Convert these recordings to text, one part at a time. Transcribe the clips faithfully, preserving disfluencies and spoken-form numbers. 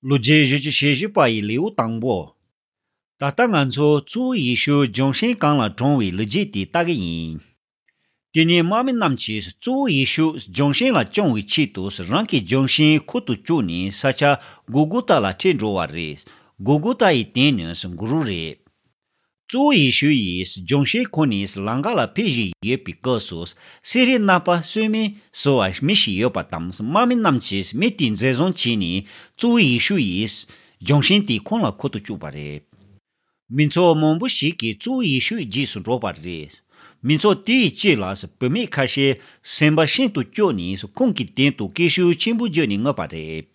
ལོ་རྒྱུས་བཞི་བཅུ་ཞེ་བཞི་པ་ཡི་ལེའུ་དང་པོ། ད་ལྟ་ང་ཚོ་གཙོ་བོ་ཡེ་ཤུ་ལྗོན་ཤིང་གང་ལ་གྲོངས་པའི་ལོ་རྒྱུས་དེ་ལྟ་གི་ཡིན། དེ་ནས་དམག་མི་རྣམས་ཀྱིས་གཙོ་བོ་ཡེ་ཤུ་ལྗོན་ཤིང་ལ་བཅོམ་པའི་ཆེད་དུ་རང་གི་ལྗོན་ཤིང་ཁུར་དུ་བཅུག་ནས་ས་ཆ་གོ་གོ་ཐ་ལ་ཁྲིད་འགྲོ་བ་རེད། གོ་གོ་ཐ་ཡི་དོན་ནི་གུ་རུ་རེད། གཙོ་བོ་ཡེ་ཤུ་ཡིས་ལྗོན་ཤིང་ཁུར་ནས་ལམ་ཁ་ལ་ཕེབས་བཞིན་ཡོད་པའི་སྐབས་སུ། སི་རི་ནག་པ་སུ་མེ་ཟེར་བ་མི་ཞིག་ཡོད་པ་དང་། དམག་མི་རྣམས་ཀྱིས་མི་དེ་འཛིན་བཟུང་བྱས་ནས་གཙོ་བོ་ཡེ་ཤུ་ཡི་ལྗོན་ཤིང་དེ་ཁོང་ལ་ཁུར་དུ་བཅུག་པ་རེད། མི་ཚོགས་མང་པོ་ཞིག་གིས་གཙོ་བོ་ཡེ་ཤུའི་རྗེས་སུ་འགྲོ་བ་རེད། མི་ཚོགས་དེའི་དཀྱིལ་ལ་བུད་མེད་ཁ་ཤས་སེམས་པ་ཤིན་ཏུ་སྐྱོ་ནས་ཁོང་གི་སྟེང་དུ་སྐད་ཤུགས་ཆེན་པོ་བརྒྱབ་ནས་ངུས་པ་རེད།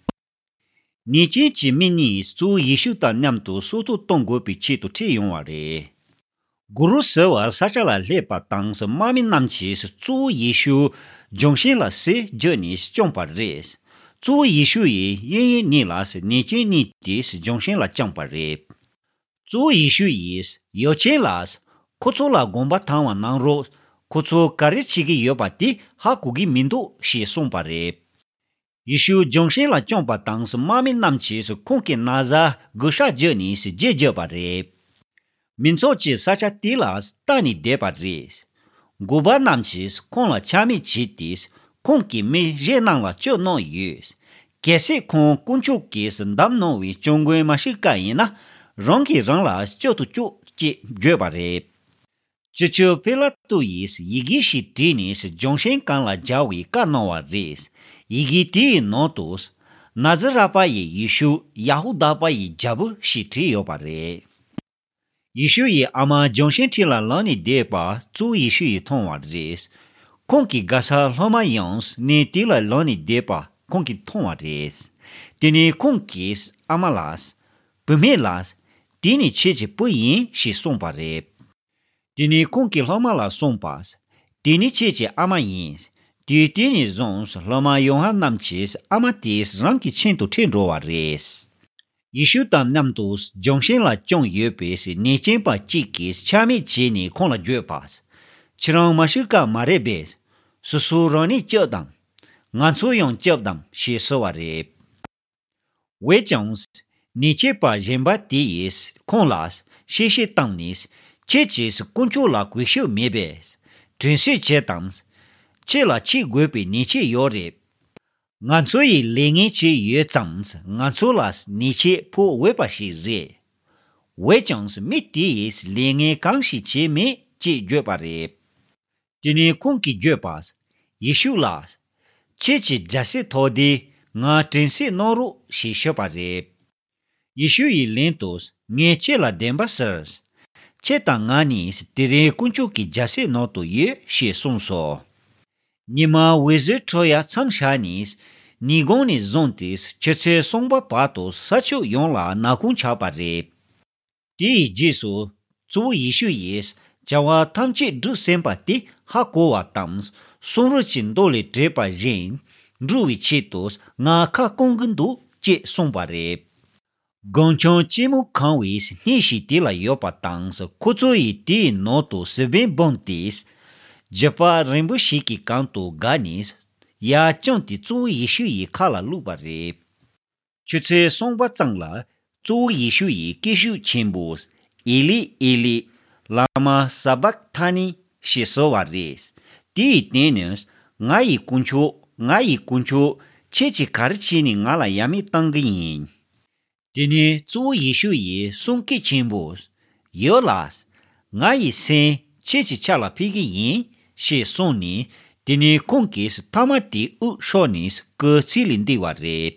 ཉེས་ཅན་གྱི་མི་གཉིས་གཙོ་བོ་ཡེ་ཤུ་དང་མཉམ་དུ་སྲོག་ཐོག་གཏོང་དགོས་པའི་ཆེད་དུ་ཁྲིད་ཡོང་བ་རེད། གུ་རུ་ཟེར་བ་ས་ཆ་ལ་སླེབས་པ་དང་། དམག་མི་རྣམས་ཀྱིས་གཙོ་བོ་ཡེ་ཤུ་ལྗོན་ཤིང་ལ་གསེར་བརྒྱབ་ནས་བཅོམ་པ་རེད། གཙོ་བོ་ཡེ་ཤུ་ཡིས་གཡས་གཡོན་གཉིས་ལ་ཉེས་ཅན་གཉིས་དེ་ལྗོན་ཤིང་ལ་བཅངས་པ་རེད། གཙོ་བོ་ཡེ་ཤུ་ཡིས་ཡོ་ཆེན་ལ། ཁོ་ཚོ་ལ་དགོངས་པ་དྭངས་པ་གནང་རོགས། ཁོ་ཚོ་ག་རེ་བྱེད་ཀྱི་ཡོད་པ་དེ་ཧ་གོ་གི་མི་འདུག་ཞེས་གསུངས་པ་རེད། ཡེ་ཤུ་ལྗོན་ཤིང་ལ་བཅོམ་པ་དང་། དམག་མི་རྣམས་ཀྱིས་ཁོང་གི་ན་བཟའ་གུས་ཕྱག་བརྒྱབ་ནས་རྗེས་བརྒྱབ་པ་རེད། མི་ཚོགས་ཀྱིས་ས་ཆ་དེ་ལ་ལྟ་ནས་བསྡད་པ་རེད། འགོ་པ་རྣམས་ཀྱིས་ཁོང་ལ་ཆ་མེད་བྱས་ཏེ། ཁོང་གི་མི་གཞན་རྣམས་ལ་སྐྱོབ་གནང་ཡོད། གལ་སྲིད་ཁོང་དཀོན་མཆོག་གིས་བདམས་གནང་བའི་སྐྱབས་མགོན་མ་ཤི་ཀ་ཡིན་ན། རང་གིས་རང་ལ་སྐྱོབ་ཏུ་བཅུག་ཅེས་བརྗོད་པ་རེད། སྤྱི་ཁྱབ་པི་ལ་ཏུ་ཡིས་ཡི་གེ་ཞིག་བྲིས་ནས་ལྗོན་ཤིང་སྒང་ལ་སྦྱར་བའི་བཀའ་གནང་བ་རེད། ཡི་གེ་དེའི་ནང་དུ། ན་ཛི་ར་པ་ཡི་ཡེ་ཤུ། ཡ་ཧུ་དཱ་པ་ཡི་རྒྱལ་པོ་ཞེས་བྲིས་ཡོད་པ་རེད། ཡེ་ཤུ་ཡི་ཨ་མ་ལྗོན་ཤིང་འཁྲིས་ལ་ལངས་ནས་བསྡད་པ་གཙོ་བོ་ཡེ་ཤུ་ཡིས་མཐོང་བ་རེད། ཁོང་གི་དགའ་ས་སློབ་མ་ཡང་གནས་དེ་ལ་ལངས་ནས་བསྡད་པ་ཁོང་གིས་མཐོང་བ་རེད། དེ་ནས་ཁོང་གིས་ཨ་མ་ལ། བུད་མེད་ལ། དེ་ནི་ཁྱེད་ཀྱི་བུ་ཡིན་ཞེས་གསུངས་པ་རེད། དེ་ནས་ཁོང་གིས་སློབ་མ་ལ་གསུངས་པ། དེ་ནི་ཁྱེད་ཀྱི་ཨ་མ་ཡིན། དུས་དེ་ནས་བཟུང་སློབ་མ་ཡོ་ཧ་ནན་གྱིས་ཨ་མ་དེ་རང་གི་མཆན་དུ་ཁྲིད་འགྲོ་བ་རེད། ཡེ་ཤུ་དང་མཉམ་དུ་ལྗོན་ཤིང་ལ་བཅོམ་ཡོད་པའི་ཉེས་ཅན་པ་གཅིག་གིས་ཆ་མེད་བྱས་ནས་ཁོང་ལ་བརྗོད་པ། ཁྱེད་རང་མ་ཤི་ཀ་མ་རེད་པས། སོ་སོ་རང་ཉིད་སྐྱོབས་དང་། ང་ཚོ་ཡང་སྐྱོབས་དང་ཞེས་ཟེར་བ་རེད། འོན་ཀྱང་། ཉེས་ཆད་པ་གཞན་པ་དེ་ཡིས་ཁོང་ལ་གཤེ་གཤེ་བཏང་ནས། ཁྱེད་ཀྱིས་དཀོན་མཆོག་ལ་གུས་ཞབས་མེད་པས། དྲན་གསོས་བྱེད་དང་། ཁྱེད་ལ་འཁྱེར་དགོས་པའི་ཉེས་ཆད་ཡོད་རེད། ང་ཚོ་ཡིས་ལས་ངན་བྱས་ཡོད་ཙང་ང་ཚོ་ལ་ཉེས་ཆད་ཕོག་འོས་པ་ཞིག་རེད། འོན་ཀྱང་མི་དེ་ཡིས་ལས་ངན་གང་ཞིག་བྱས་མེད་ཅེས་བརྗོད་པ་རེད། དེ་ནས་ཁོང་གིས་བརྗོད་པ། ཡེ་ཤུ་ལགས། ཁྱེད་ཀྱི་རྒྱལ་སྲིད་ཐོག་དེ་ང་དྲན་གསོས་གནང་རོགས་ཞེས་ཞུས་པ་རེད། ཡེ་ཤུ་ཡིས་ལན་དུ་ངས་ཁྱེད་ལ་བདེན་པ་ཟེར། ཁྱེད་དང་ང་གཉིས་དེ་རིང་དཀོན་མཆོག་གི་རྒྱལ་སྲིད་ནང་དུ་ཡོད་ཞེས་གསུངས་སོ། ཉི་མ་འོད་ཟེར་འཕྲོ་ཡ་མཚམས་བཞག་ནས། ཉིན་གུང་ནས་བཟུང་སྟེ་ཆུ་ཚོད་གསུམ་པ་བར་དུ་ས་ཕྱོགས་ཡོངས་ལ་ནག་ཁུང་ཆགས་པ་རེད། དེའི་རྗེས་སུ། གཙོ་བོ་ཡེ་ཤུ་ཡིས་བྱ་བ་ཐམས་ཅད་སྒྲུབ་ཟིན་པ་དེ་ཧ་གོ་བ་དང་། གསུང་རབ་ཀྱི་མདོ་ལས་བྲིས་པ་བཞིན། འགྲུབ་པའི་ཆེད་དུ་ང་ཁ་སྐོང་གི་འདུག་ཅེས་གསུངས་པ་རེད། སྒང་ཆུང་ལྕི་མོ་གང་བའི་སྣེ་ཞིག་དེ་ལ་ཡོད་པ་དང་། ཁོ་ཚོ་ཡིས་དེའི་ནང་དུ་གཟུ་དཔང་སྦངས་ཏེ། རྒྱུད་པ་རིང་པོ་ཞིག་གི་གམ་དུ་བསྒགས་ནས། ཡར་བརྐྱངས་ཏེ་གཙོ་བོ་ཡེ་ཤུ་ཡི་ཁ་ལ་བླུགས་པ་རེད། ཆུ་ཚོད་གསུམ་པ་ཙམ་ལ། གཙོ་བོ་ཡེ་ཤུ་ཡིས་སྐད་ཤུགས་ཆེན་པོས། ཨེ་ལི། ཨེ་ལི། ལ་མ་ས་བག་ཐ་ནི། ཞེས་ཟེར་བ་རེད། དེའི་དོན་ནི། ང་ཡི་དཀོན་མཆོག་ང་ཡི་དཀོན་མཆོག་ཁྱེད་ཀྱིས་ག་རེ་བྱས་ནས་ང་ལ་ཡ་མེད་བཏང་གི་ཡིན། དེ་ནས་གཙོ་བོ་ཡེ་ཤུ་ཡིས་གསུང་སྐད་ཆེན་པོས། ཡོད་ལགས། ང་ཡི་སེམས་ཁྱེད་ཀྱི་ཕྱག་ལ་ཕུལ་གི་ཡིན། ཞེས་གསུངས་ནས། དེ་ནས་ཁོང་གིས་ཐ་མ་དེའི་དབུགས་ཤོར་ནས་སྐུ་ཚེ་ལས་འདས་པ་རེད།